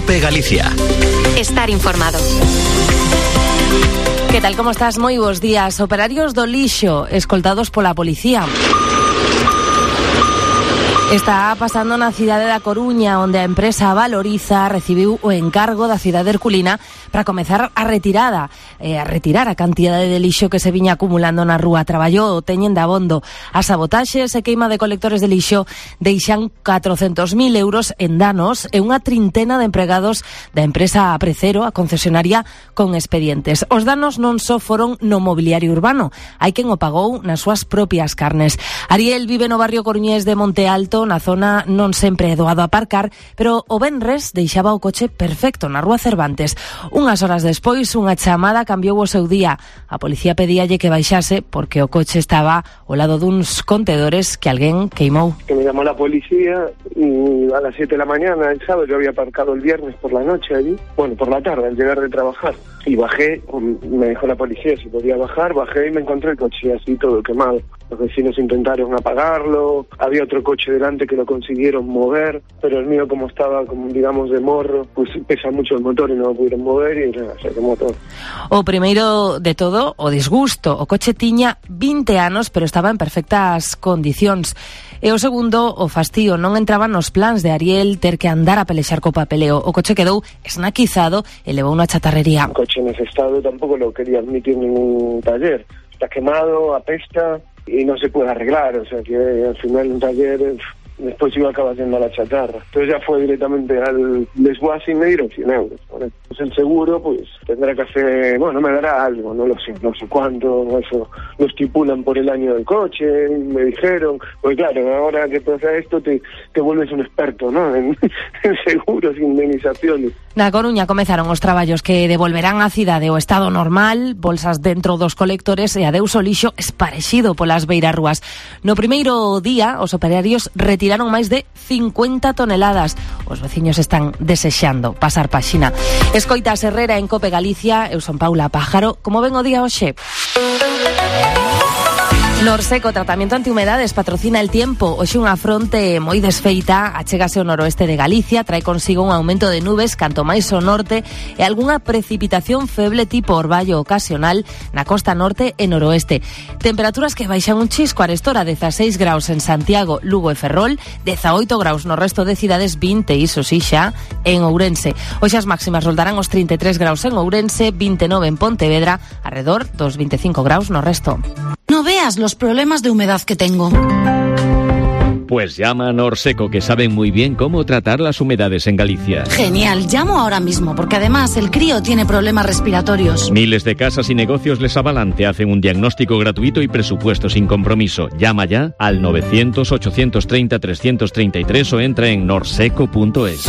COPE Galicia. Estar informado. Que tal, como estás? Moi bons días. Operarios do lixo escoltados pola policía. Está pasando na cidade da Coruña, onde a empresa Valoriza recibiu o encargo da cidade herculina para comezar a retirar a cantidade de lixo que se viña acumulando na rúa. Traballou o teñen de abondo. As sabotaxes e queima de colectores de lixo deixan 400.000 euros en danos e unha trintena de empregados da empresa Precero, a concesionaria, con expedientes. Os danos non só foron no mobiliario urbano, hai quen o pagou nas súas propias carnes. Ariel vive no barrio coruñés de Monte Alto, na zona non sempre é doado aparcar, pero o venres deixaba o coche perfecto na rúa Cervantes. Unhas horas despois, unha chamada cambiou o seu día. A policía pedíalle que baixase porque o coche estaba ao lado duns contedores que alguén queimou. Que me llamó la policía a las 7 de la mañana el sábado. Yo había aparcado el viernes por la noche allí, bueno, por la tarde al llegar de trabajar, y bajé, me dejó la policía si podía bajar, bajé y me encontré el coche así todo quemado. Los vecinos intentaron apagarlo, había otro coche delante que lo consiguieron mover, pero el mío, como estaba, como digamos, de morro, pues pesa mucho el motor y no lo pudieron mover y nada, se quemó todo. O primeiro de todo, o disgusto. O coche tiña 20 anos, pero estaba en perfectas condicións. E o segundo, o fastío. Non entraban nos plans de Ariel ter que andar a pelexar co papeleo. O coche quedou esnaquizado e levou unha chatarrería. Un coche en ese estado tampoco lo quería admitir ningún taller. Está quemado, apesta y no se puede arreglar, o sea que al final un taller después iba a acabar yendo a la chatarra. Entonces ya fue directamente al desguace y me dieron 100 euros. ¿Vale? Pues el seguro pues tendrá que hacer, bueno, me dará algo, no lo sé, no sé cuánto, eso lo estipulan por el año del coche, me dijeron, pues claro, ahora que pasa esto te vuelves un experto, ¿no? En seguros e indemnizaciones. Na Coruña comezaron os traballos que devolverán á cidade o estado normal, bolsas dentro dos colectores e adeus o lixo esparexido polas beirarrúas. No primeiro día, os operarios retiraron máis de 50 toneladas. Os veciños están desexando pasar páxina. Escoitas Herrera en COPE Galicia, eu son Paula Pájaro. Como ven o día hoxe? Norseco, tratamento antihumedades, patrocina el tiempo. Hoxe unha fronte moi desfeita achégase ao noroeste de Galicia, trae consigo un aumento de nubes canto máis ao norte e algunha precipitación feble tipo orballo ocasional na costa norte e noroeste. Temperaturas que baixan un chisco, arestora 16 graus en Santiago, Lugo e Ferrol, 18 graus no resto de cidades, 20 iso si xa en Ourense. Hoxe as máximas roldarán os 33 graus en Ourense, 29 en Pontevedra, arredor dos 25 graus no resto. No veas los problemas de humedad que tengo. Pues llama a Norseco, que saben muy bien cómo tratar las humedades en Galicia. Genial, llamo ahora mismo, porque además el crío tiene problemas respiratorios. Miles de casas y negocios les avalan, te hacen un diagnóstico gratuito y presupuesto sin compromiso. Llama ya al 900-830-333 o entra en norseco.es.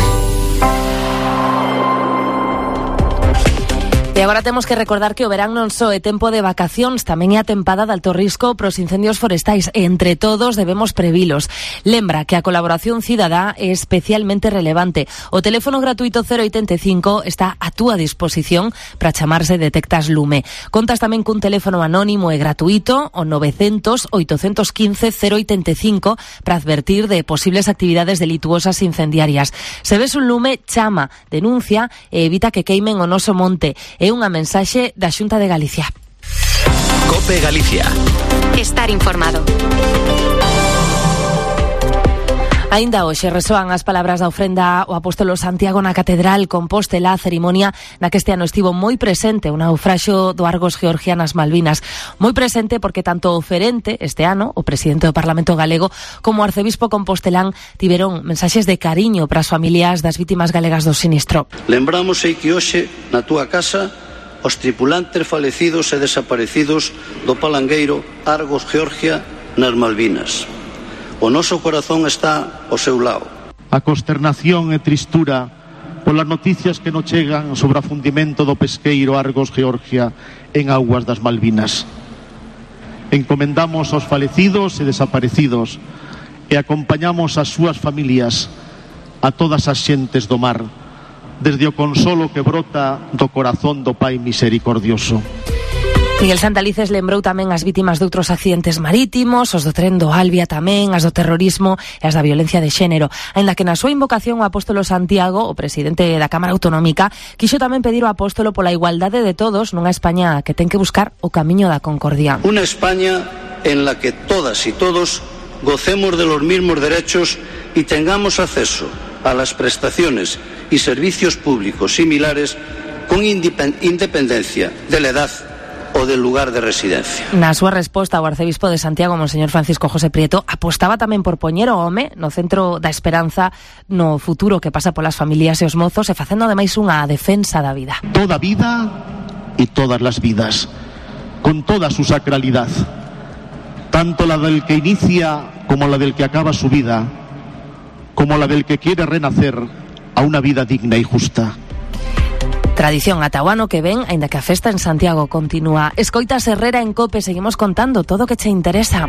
E agora temos que recordar que o verán non só é tempo de vacacións, tamén é a tempada de alto risco pros incendios forestais. E entre todos debemos previlos. Lembra que a colaboración cidadá é especialmente relevante. O teléfono gratuito 085 está a túa disposición para chamarse Detectas Lume. Contas tamén cun teléfono anónimo e gratuito, o 900-815-085, para advertir de posibles actividades delituosas incendiarias. Se ves un lume, chama, denuncia e evita que queimen o noso monte. É unha mensaxe da Xunta de Galicia. COPE Galicia. Estar informado. Aínda hoxe resoan as palabras da ofrenda ao apóstolo Santiago na Catedral Compostela, a cerimonia na que este ano estivo moi presente o naufraxio do Argos Georgia nas Malvinas. Moi presente porque tanto o oferente este ano, o presidente do Parlamento galego, como o arcebispo compostelán tiveron mensaxes de cariño para as familias das vítimas galegas do sinistro. Lembramos que hoxe na túa casa os tripulantes falecidos e desaparecidos do palangueiro Argos Georgia nas Malvinas. O noso corazón está ao seu lado. A consternación e tristura polas noticias que nos chegan sobre o afundimento do pesqueiro Argos Georgia en augas das Malvinas. Encomendamos aos falecidos e desaparecidos e acompañamos as súas familias, a todas as xentes do mar, desde o consolo que brota do corazón do Pai misericordioso. Miguel Santalices lembrou tamén as vítimas de outros accidentes marítimos, os do tren do Albia tamén, as do terrorismo e as da violencia de xénero. Aínda que na súa invocación o apóstolo Santiago, o presidente da Cámara Autonómica, quixo tamén pedir ao apóstolo pola igualdade de todos nunha España que ten que buscar o camiño da concordia. Una España en la que todas y todos gocemos de los mismos derechos y tengamos acceso a las prestaciones y servicios públicos similares con independencia de la edad o del lugar de residencia. Na súa resposta, o arcebispo de Santiago, Monseñor Francisco José Prieto, apostaba tamén por poñer o home no centro da esperanza no futuro que pasa polas familias e os mozos e facendo ademais unha defensa da vida. Toda vida y todas las vidas, con toda su sacralidad, tanto la del que inicia como la del que acaba su vida, como la del que quiere renacer a una vida digna y justa. Tradición ata o ano que ven, aínda que a festa en Santiago continúa. Escoitas Herrera en COPE, seguimos contando todo o que che interesa.